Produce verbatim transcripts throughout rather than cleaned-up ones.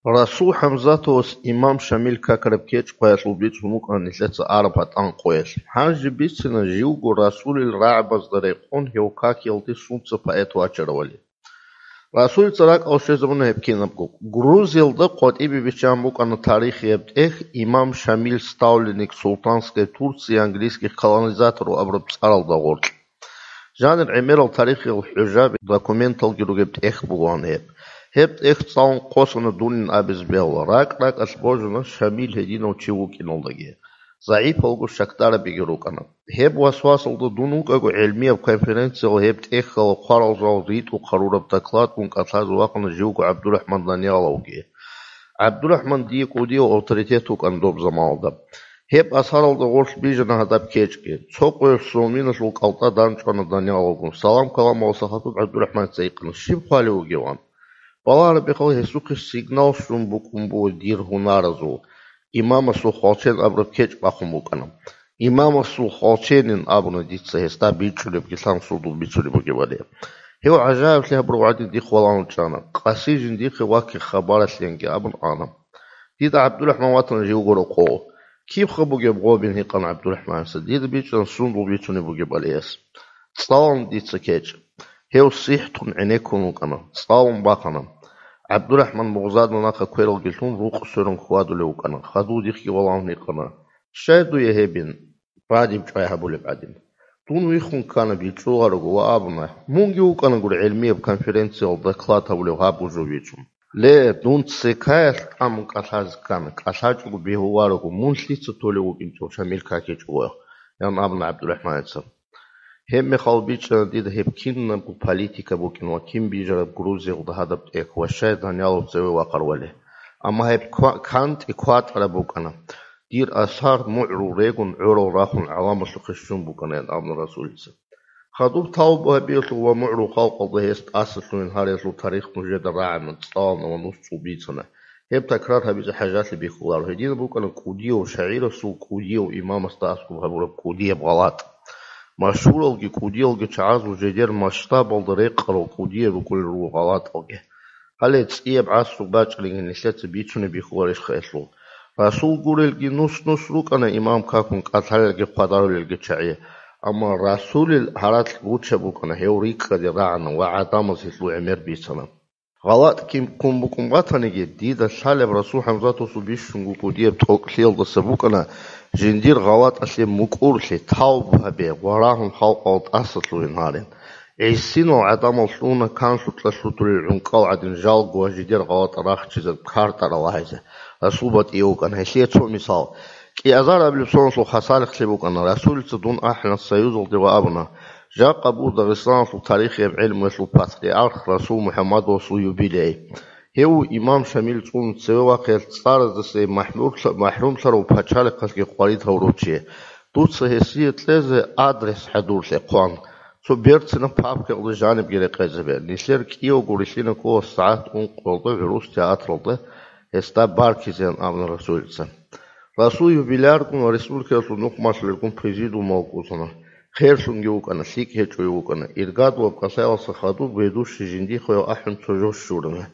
Расул ХӀамзатовас имам Шамил какараб кечӀ къоялъул бицун вукӀана нилъеца араб гьатӀан къоялъ. Гьанже бицина живго расулил рагӀабазда рекъон гьев какиялде сунца поэт вачаравали. Расулица ракӀалде щвезабуна гьеб кинабго. Грузиялда къватӀибе биччан букӀана тарихияб тӀехь имам Шамил Ставленник Султанская Турция английских колонизаторов абураб цӀаралда гъоркь. Жанир гӀемерал тарихиял хӀужаби, документалги ругеб тӀехь бугоан гьеб. Гьеб тӀехь цӀалун къосана дунин абизе бегьула. РакӀ-ракӀалъ божуна Шамил гьединав чи вукӀиналдаги. ЗагӀипалго щакдарабиги рукӀана. Гьеб васвасалда дун вукӀаго гӀелмияб конференциялъ гьеб тӀехьалда хъварал жал ритӀухъ гьарураб докладгун кӀалъазе вахъана живго ГӀабдурахӀман Данияловги. ГӀабдурахӀман дие кӀудияв авторитет вукӀана доб заманалда. Гьеб асаралда гъорлъ бижана гьадаб кечӀги. Цо къоялъ Соминалъул кӀалтӀа данчӀвана Данияловгун. Салам-каламалдаса хадуб ГӀабдурахӀманица гьикъана: «Щиб хъвалев вугеван?» Балагьараб мехалъ гьесухъе сигнал щун букӀун буго дир гьунаразул, имамасул хвалчен абураб кечӀ бахъун букӀана. Имамасул хвалченин абуна дица гьесда бичӀчӀулебги лъан сундул бицунеб бугебали. Гьев гӀажаиблъи гьабурав гӀадин дихъ валан вачӀана. Къаси жиндихъе ваккихъ хабаралъенги абун ана. Дида ГӀабдурахӀман ватана живго рокъов. Кибха бугеб гъобин гьикъана ГӀабдурахӀманица. Дида бичӀчӀана сундул бицунеб бугебали гьес. ЦӀалун дица кечӀ. Гьев сихӀ тун гӀенеккун вукӀана. ЦӀалун бахъана. ГӀабдурахӀман мугъзадул нахъа квералги лъун рукъ сверун хьвадулев вукӀана. Хадув дихъги валан гьикъана: «Щай дуе гьебин?» Бадиб чӀвай гьабулеб гӀадин. Дун виххун ккана, бичӀчӀуларо ва абуна: «Мунги вукӀана гури гӀелмияб конференциялда доклад гьабулев гьаб гужо вичӀун». Ле, дун цекаялъ тӀамун кӀалъазе ккана, кӀалъачӀого бегьуларо, мун лъица толев вукӀинчӀев Шамил какичӀого, ян абуна ГӀабдурахӀманица. Гьеб мехалъ бичӀчӀана дида гьеб кинабго политика букӀин ва кин бижараб Грузиялда гьадаб тӀехь ва щай Даниялов цеве вахъарвали. Амма гьеб ква-, кантӀи кватӀараб букӀана. Дир асар мугӀрул регун гӀорал рахун гӀаламалъухъе щун букӀана, ян абуна Расулица. Хадуб тавба гьабиялъул ва мугӀрул халкъалда гьес тӀасалъугьин гьариялъул тарих нужеда рагӀана, цӀалана ва нус цӀул бицана. Гьеб такрар гьабизе хӀажалъи бихьуларо. Гьединаб букӀана кӀудияв шагӀирасул кӀудияв имамасда аскӀоб гьабураб кӀудияб гъалатӀ. Машгьуралги кӀудиялги чагӀазул жидер масштабалда рекъарал кӀудиял рукӀунел руго гъалатӀалги. Гьале цӀияб гӀасру бачӀаригин нилъеца бицунеб бихьуларищха гьелъул? Расул гурелги нус-нус рукӀана имам какун кӀалъалелги хъвадарулелги чагӀи, амма Расулил гьаракь гучаб букӀана гьев рикӀкӀаде рагӀана ва гӀадамаз гьелъул гӀемер бицана. ГъалатӀ кин ккун букӀун батаниги, дида лъалеб Расул ХӀамзатовасул бищунго кӀудияб тӀокӀлъиялдаса букӀана жиндир гъалатӀалъе мукӀурлъи, тавба гьабе ва рагьун халкъалда тӀасалъугьин гьарин. ГӀисинал гӀадамал лъугьуна канлъукьа лъутулел гӀункӀал гӀадин жалго ва жидер гъалатӀ рахчизаб картӀарал гьайзе. Расул батӀияб вукӀана. Гьелъие цо мисал. КӀиазар абилеб соналъул хасалихълъи букӀана. Расулица дун ахӀана Союзалде ва абуна: «Жакъа буго Дагъистаналъул тарихияб гӀелмуялъул патриарх Расул МухӀаммадовасул юбилей. Гьев вуго имам Шамил цӀун цеве вахъиялъ цӀараздаса махӀмурлъа-, махӀрумлъарав пачалихъалъги къварид гьавурав чи. Дуца гьесие кьезе адрес хӀадурлъе хъван. Цо берцинаб папкаялда жанибги рекъезабе. Нилъер кӀиявго рилълъина ккола сагӀат ункъоялда гӀурус театралда гьесда баркизеян», — абуна Расулица. Расул юбиляргун ва республикаялъул нухмалъулелгун президиумалда кӀузана. Херлъунги вукӀана, лъикӀ гьечӀого вукӀана. Иргадулаб кӀалъаялдаса хадуб ведущий жиндихъе ахӀун цо жо щурана.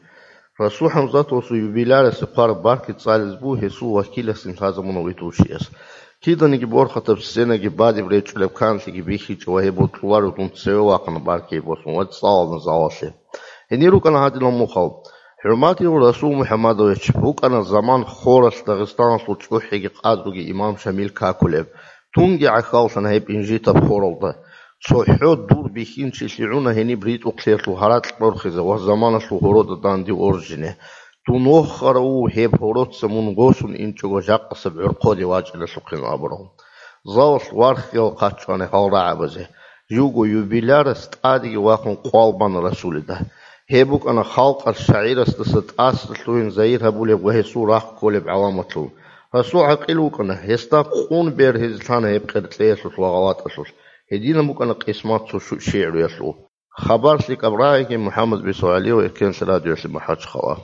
Расул ХӀамзатовасул юбилярасе хъвараб баркиз цӀализе буго гьесул вакиласин лъазабуна ведущияс. Киданиги борхатаб сценаги бадиб речӀчӀулеб канлъиги бихьичӀо ва гьеб бокьуларо дун цеве вахъана баркиги босун ва цӀалана залалъе. Гьенир рукӀана гьадинал мухъал: «ХӀурматияв Расул МухӀаммадович, букӀана заман хоралъ Дагъистаналъул чӀухӀиги къадруги имам Шамил какулеб. Тунги гӀахьаллъана гьеб инжитаб хоралда. ЦохӀо дур бихьинчилъи гӀуна гьениб ритӀухълъиялъул гьаракь борхизе ва заманалъул гьорода данде оржине. Дун вохарав вуго гьеб гьороца мун босун инчӀого жакъасеб гӀорхъоде вачӀиналъухъин», — абурал. Залалъ вархьиял хъачӀана гьал рагӀабазе. Живго юбилярас тӀадеги вахъун къвал бана Расулида. Гьеб букӀана халкъалъ шагӀирасдаса тӀасалъугьин загьир гьабулеб ва гьесул рахъ кколеб гӀаламатлъун. Расул гӀакъил вукӀана, гьесда къун бергьизе лъана гьеб къеркьеялъулъ ва гъалатӀалъулъ. Гьединаб букӀана къисмат цо шу-, шигӀруялъул. Хабар лъикӀаб рагӀиги, МухӀаммад БицогӀалиев, Эркенлъи радиоялъе МахӀачхъала.